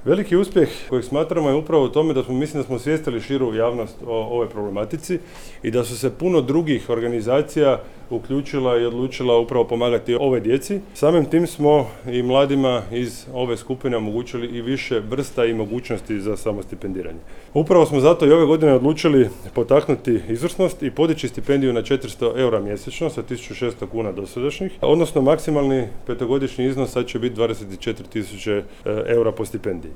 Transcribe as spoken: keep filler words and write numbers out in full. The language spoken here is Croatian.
Veliki uspjeh kojeg smatramo je upravo u tome da smo, mislim da smo osvijestili širu javnost o ovoj problematici i da su se puno drugih organizacija uključila i odlučila upravo pomagati ove djeci. Samim tim smo i mladima iz ove skupine omogućili i više vrsta i mogućnosti za samostipendiranje. Upravo smo zato i ove godine odlučili potaknuti izvrsnost i podići stipendiju na četiristo eura mjesečno sa tisuću šesto kuna dosadašnjih, odnosno maksimalni petogodišnji iznos sad će biti dvadeset četiri tisuće eura po stipendiji.